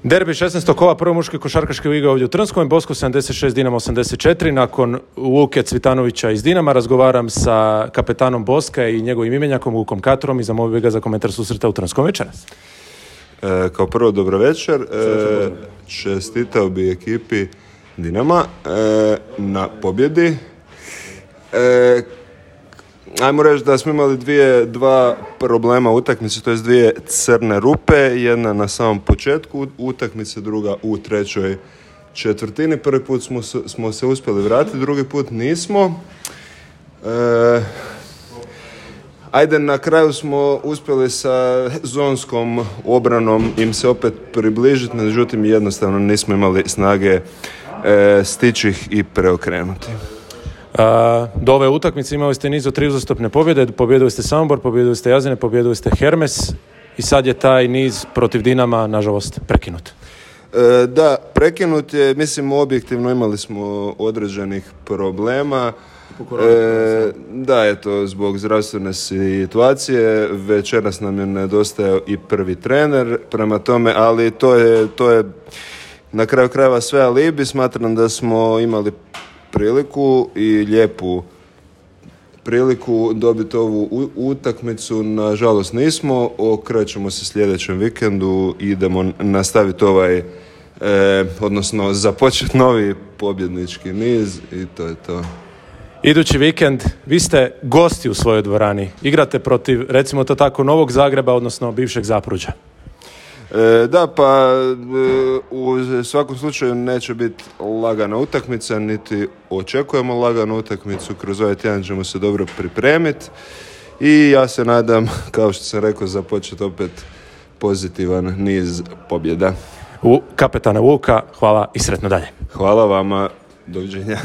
Derbi 16. kola prve muške košarkaške lige ovdje u Trnskom, Bosko 76, Dinamo 84. Nakon Luke Cvitanovića iz Dinama razgovaram sa kapetanom Boska i njegovim imenjakom Lukom Katorom i zamolio bih ga za komentar susreta u Trnskom večeras. Kao prvo, dobro večer. Čestitao bi ekipi Dinama na pobjedi. Ajmo reći da smo imali dva problema u utakmici, to jest dvije crne rupe, jedna na samom početku utakmice, druga u trećoj četvrtini. Prvi put smo se uspjeli vratiti, drugi put nismo. Ajde, na kraju smo uspjeli sa zonskom obranom im se opet približiti, međutim jednostavno nismo imali snage stići ih i preokrenuti. Do ove utakmice imali ste niz od 3 uzastopne pobjede, pobjedili ste Samobor, pobjedili ste Jazine, pobjedili ste Hermes i sad je taj niz protiv Dinama nažalost prekinut. Da, prekinut je, mislim objektivno imali smo određenih problema. Da, eto, zbog zdravstvene situacije večeras nam je nedostajao i prvi trener, prema tome, ali to je na kraju krajeva sve alibi. Smatram da smo imali priliku i lijepu priliku dobiti ovu utakmicu, nažalost nismo. Okrećemo se sljedećem vikendu i idemo nastaviti odnosno započeti novi pobjednički niz i to je to. Idući vikend vi ste gosti u svojoj dvorani. Igrate protiv, recimo to tako, Novog Zagreba, odnosno bivšeg Zapruđa. Da, pa u svakom slučaju neće biti lagana utakmica, niti očekujemo laganu utakmicu. Kroz ovaj tjedan ćemo se dobro pripremiti i ja se nadam, kao što sam rekao, započeti opet pozitivan niz pobjeda. Kapetana Vuka, hvala i sretno dalje. Hvala vama, doviđenja.